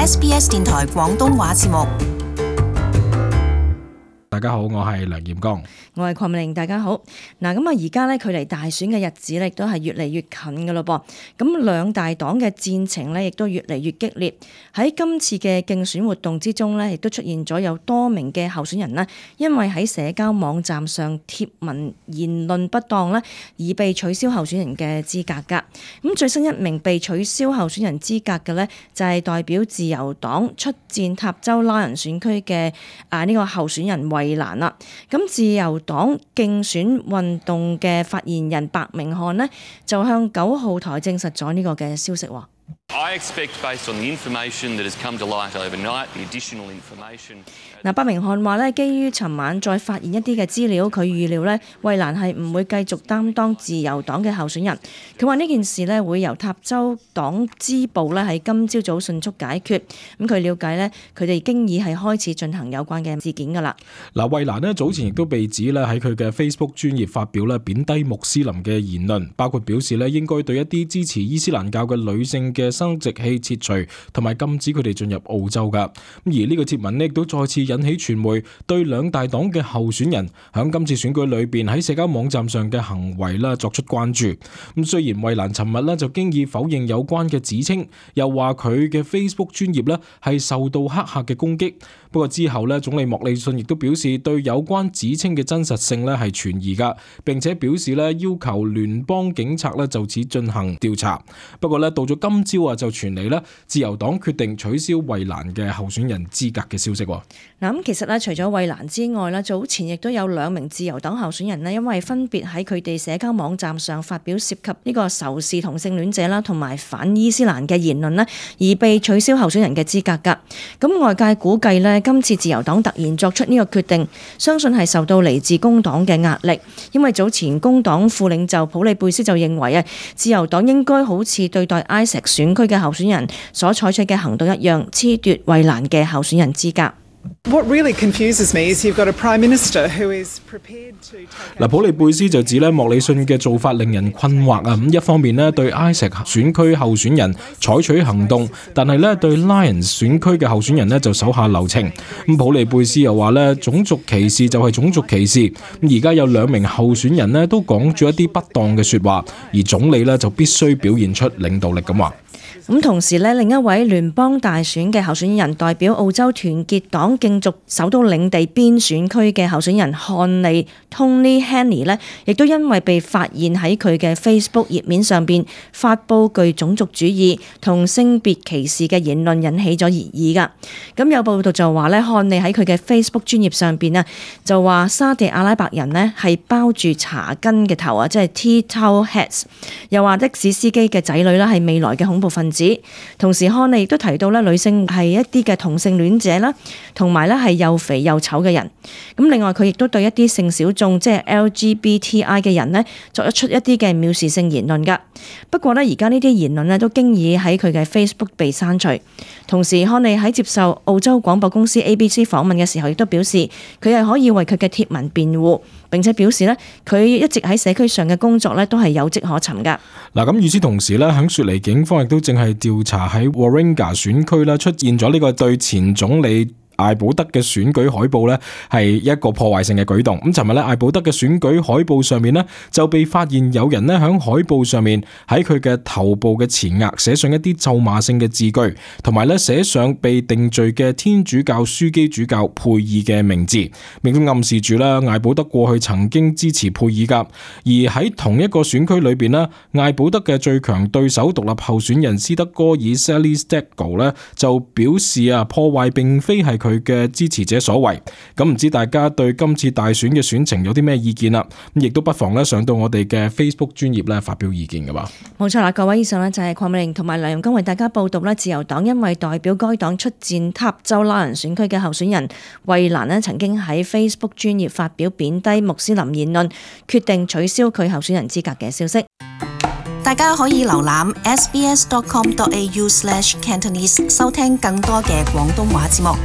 SBS 電台廣東話節目。大家好，我係梁彥剛，我係鄺美玲。大家好。嗱，咁而家咧距離大選嘅日子咧，亦都係越嚟越近噶咯噃。咁兩大黨嘅戰情咧，亦都越嚟越激烈。喺今次嘅競選活動之中咧，亦都出現咗有多名嘅候選人咧，因為喺社交網站上貼文言論不當咧，而被取消候選人嘅資格噶。咁最新一名被取消候選人資格嘅咧，就係代表自由黨出戰塔州拉人選區嘅呢個候選人衛蘭啦。咁自由黨競選運動嘅發言人白明翰呢，就向9號台證實咗呢個嘅消息喎。白明翰話咧，基於尋晚再發現一啲嘅資料，佢預料咧，衛蘭係唔會繼續擔當自由黨嘅候選人。佢話呢件事咧會由塔州黨支部咧喺今朝早迅速解決。咁佢了解咧，佢哋已經係開始進行有關嘅事件噶啦。嗱，衛蘭咧早前亦都被指咧喺佢嘅 Facebook 專頁發表咧貶低穆斯林嘅言論，包括表示咧應該對一啲支持伊斯蘭教嘅女性嘅生殖器切除，同埋禁止佢哋進入澳洲噶。而呢個貼文咧亦都再次引起傳媒對兩大黨嘅候選人響今次選舉裏邊喺社交網站上嘅行為啦作出關注。咁雖然衛蘭尋日咧就經已否認有關嘅指稱，又話佢嘅 Facebook 專頁咧係受到黑客嘅攻擊。不過之後咧，總理莫里遜亦都表示對有關指稱嘅真實性咧係存疑噶，並且表示咧要求聯邦警察咧就此進行調查。不過咧到咗今朝就傳嚟咧自由黨決定取消衛蘭嘅候選人資格嘅消息。嗱，咁其實咧除咗衛蘭之外咧，早前亦都有2名自由黨候選人咧，因為分別喺佢哋社交網站上發表涉及呢個仇視同性戀者啦，同埋反伊斯蘭嘅言論咧，而被取消候選人嘅資格噶。咁外界估計咧，今次自由黨突然作出呢個決定，相信係受到嚟自工黨嘅壓力，因為早前工黨副領袖普利貝斯就認為自由黨應該好似對待埃錫選區嘅候選人所採取嘅行動一樣，褫奪衛蘭嘅候選人資格。What really confuses me is you've got a Prime Minister who is prepared to take... 普利貝斯就指莫里遜嘅做法令人困惑啊！一方面對埃錫選區候選人採取行動，但係對拉人選區嘅候選人就手下留情。普利貝斯又話種族歧視就係種族歧視。而家有2名候選人都講咗一啲不當嘅說話，而總理就必須表現出領導力咁話。咁同時另一位聯邦大選嘅候選人代表澳洲團結黨競逐首都領地邊選區嘅候選人漢利 Tony Henny 亦都因為被發現喺佢嘅 Facebook 頁面上邊發佈具種族主義同性別歧視嘅言論，引起咗熱議噶。咁有報道就話漢利喺佢嘅 Facebook 專頁上邊就話沙地阿拉伯人係包住茶巾嘅頭即係 tea towel heads， 又話的士司機嘅仔女係未來嘅恐怖分子。同時漢利亦都提到女性係一啲嘅同性戀者啦，同埋係又肥又醜嘅人。咁另外佢亦都對一啲性小眾即係 LGBTI 嘅人作出一啲嘅藐視性言論噶。不過而家呢啲言論都經已喺佢嘅 Facebook 被刪除。同時漢利喺接受澳洲廣播公司 ABC 訪問嘅時候，亦都表示佢係可以為佢嘅貼文辯護，並且表示佢一直喺社區上嘅工作都係有跡可尋噶。嗱，咁與此同時響雪梨警方亦都正係調查喺 Warringah 選區出現咗呢個對前總理艾保德嘅選舉海報呢係一個破壞性嘅舉動。咁尋日艾保德嘅選舉海報上面呢就被發現有人呢響海報上面喺佢嘅頭部嘅前額寫上一啲咒罵性嘅字句，同埋呢寫上被定罪嘅天主教樞機主教佩爾嘅名字，並都暗示住艾保德過去曾經支持佩爾噶。而喺同一個選區裏邊呢，艾保德嘅最強對手獨立候選人斯德哥爾 Sally Stegall 呢就表示破壞並非係佢嘅支持者所為。咁唔知大家對今次大選嘅選情有啲咩意見啦？咁亦都不妨上到我哋嘅 Facebook 專頁發表意見噶嘛。冇錯啦，各位，以上就係鄺美玲同埋梁彥剛為大家報道自由黨因為代表該黨出戰塔州拉人選區嘅候選人衛蘭曾經喺 Facebook 專頁發表貶低穆斯林言論，決定取消佢候選人資格嘅消息。大家可以瀏覽 sbs.com.au/Cantonese 收聽更多嘅廣東話節目。